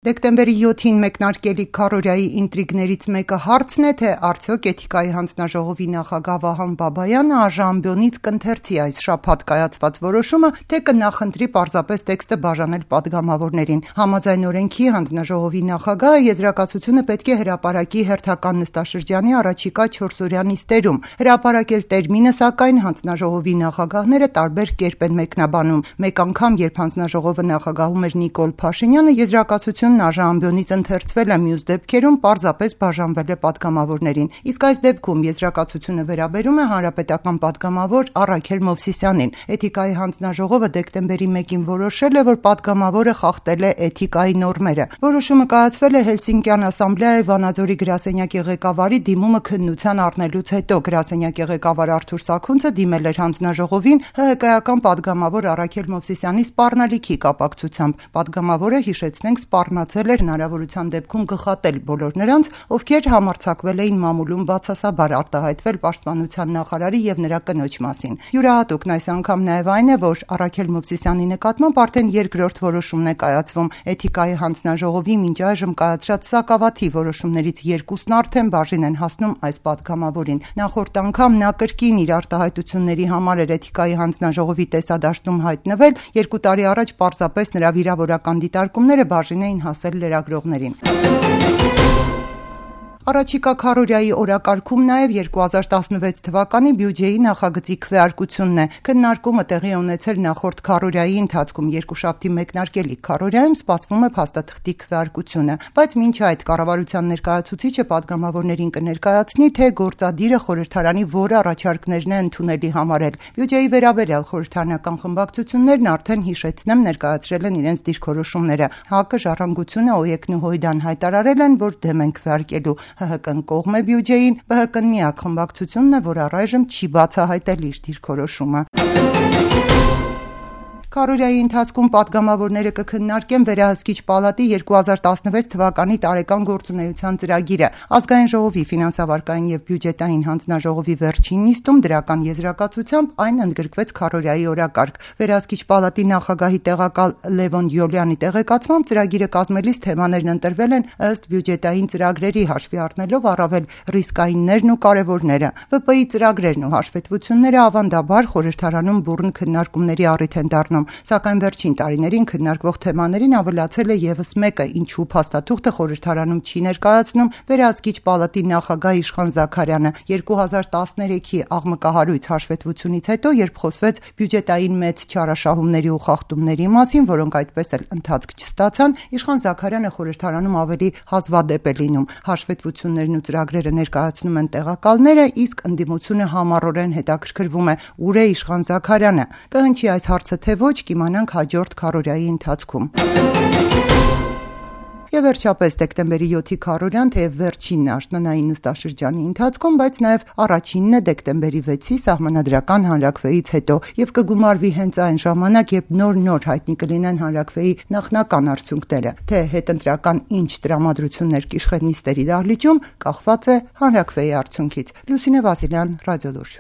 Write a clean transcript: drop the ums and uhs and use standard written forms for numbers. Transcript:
Դեկտեմբերի 7-ին մեկնարկելիք քարոզիայի ինտրիգներից մեկը հարցն է, թե արդյոք Էթիկայի հանձնաժողովի նախագահ Վահան Բաբայանը ԱԺ կընթերցի այս շաբաթ կայացված որոշումը, թե կնախընտրի պարզապես տեքստը բաժանել պատգամավորներին։ Համաձայն օրենքի հանձնաժողովի նախագահը եզրակացությունը պետք է հրապարակի հերթական նստաշրջանի առաջիկա 4-օրյա նիստերում։ Հրապարակել տերմինը, սակայն հանձնաժողովի նախագահները տարբեր կերպ են մեկնաբանում։ Մեկ անգամ, երբ հանձնաժողովը նախագահում էր Նիկոլ Փաշինյանը, եզրակացությունը ԱԺ ընթերցվել է, մյուս դեպքերում պարզապես բաժանվել է պատգամավորներին։ Իսկ այս դեպքում եզրակացությունը վերաբերում է հանրապետական պատգամավոր Առաքել Մովսիսյանին։ Էթիկայի հանձնաժողովը դեկտեմբերի 1-ին որոշել է, որ պատգամավորը խախտել է էթիկայի նորմերը։ Որոշումը կայացվել է Հելսինկյան ասամբլեայի Վանաձորի գրասենյակի ղեկավարի դիմումը քննության առնելուց հետո։ Գրասենյակի ղեկավար Արթուր Սաքունցը դիմել էր հանձնաժողովին ՀՀԿ-ական պատգամավոր Առաքել Մովսիսյանի սպառնալիքի կապակցությամբ։ Պատգամավորը, հիշեցնենք, սպառնացել էր հնարավորության դեպքում գխատել բոլոր նրանց, ովքեր համարձակվել էին մամուլում բացասաբար արտահայտվել պաշտպանության նախարարի եւ նրա կնոջ մասին։ Յուրահատուկն այս անգամ նաեւ այն է, որ Առաքել Մովսիսյանի նկատմամբ արդեն երկրորդ որոշումն է կայացվում։ Էթիկայի հանձնաժողովի մինչ այժմ կայացրած սակավաթիվ որոշումներից երկուսն արդեն բաժին են հասնում այս պատգամավորին։ Նախորդ անգամ նա կրկին իր արտահայտությունների համար էր Էթիկայի հանձնաժողովի տեսադաշտում հայտնվել, 2 տարի առաջ պարզապես նրա վիրավորական դիտարկումները բաժին էին հասել լրագրողներին։ Առաջիկա քարոզիայի օրակարգում նաև 2016 թվականի բյուջեի նախագծի քվեարկությունն է։ Քննարկումը տեղի ունեցել նախորդ քարոզիայի ընթացքում, երկուշաբթի մեկնարկելիք քարոզիայում սպասվում է փաստաթղթի քվեարկությունը, բայց մինչ այդ կառավարության ներկայացուցիչը պատգամավորներին կներկայացնի, թե գործադիրը խորհրդարանի որ առաջարկներն է ընդունելի համարել։ Բյուջեի վերաբերյալ խորհրդարանական խմբակցություններն արդեն, հիշեցնեմ, ներկայացրել են իրենց դիրքորոշումները։ ՀԱԿ-ը, Ժառանգությունը, ՕԵԿ-ն ու ՀՅԴ-ն հայտարարել են, որ դեմ են քվեարկելու։ ՀՀԿ-ն կողմ է բյուջեին, ԲՀԿ-ն միակ խմբակցությունն է, որ առայժմ չի բացահայտել իր դիրքորոշումը։ Քարոզիայի ընթացքում պատգամավորները կքննարկեն Վերահսկիչ պալատի 2016 թվականի տարեկան գործունեության ծրագիրը։ Ազգային ժողովի ֆինանսավարկային եւ բյուջետային հանձնաժողովի վերջին նիստում դրական եզրակացությամբ այն ընդգրկվեց քարոզիայի օրակարգ։ Վերահսկիչ պալատի նախագահի տեղակալ Լևոն Յոլյանի տեղեկացմամբ ծրագիրը կազմելիս թեմաներն ընտրվել են ըստ բյուջետային ծրագրերի, հաշվի առնելով առավել ռիսկայիններն ու կարևորները։ ՎՊ-ի ծրագրերն ու հաշվետվությունները ավանդաբար խորհրդարանում բուռն քննարկումների առիթ են դառնում։ Սակայն վերջին տարիներին քննարկվող թեմաներին ավելացել է եւս մեկը, ինչու փաստաթուղթը խորհրդարանում չի ներկայացնում Վերահսկիչ պալատի նախագահ Իշխան Զաքարյանը։ 2013-ի աղմկահարույց հաշվետվությունից հետո, երբ խոսվեց բյուջետային մեծ չարաշահումների ու խախտումների մասին, որոնք այդպես էլ ընթացք չստացան, Իշխան Զաքարյանը խորհրդարանում ավելի հազվադեպ է լինում։ Հաշվետվություններն ու ծրագրերը ներկայացնում են տեղակալները, իսկ ընդդիմությունը համառորեն հետաքրքրվում է՝ ուր է Իշխան Զաքարյանը։ Կհնչի այս հարցը թե ոչ, կիմանանք հաջորդ քարոզիայի ընթացքում։ Եվ վերջապես դեկտեմբերի 7-ի քարոզիան թեև վերջինն է աշնանային նստաշրջանի ընթացքում, բայց նաև առաջինն է դեկտեմբերի 6-ի սահմանադրական հանրաքվեից հետո եւ կգումարվի հենց այն ժամանակ, երբ նոր հայտնի կլինեն հանրաքվեի նախնական արդյունքները։ Թե հետընտրական ինչ տրամադրություններ կիշխեն նիստերի դահլիճում, կախված է հանրաքվեի արդյունքից։ Լուսինե Վասիլյան, Ռադիոլուրջ։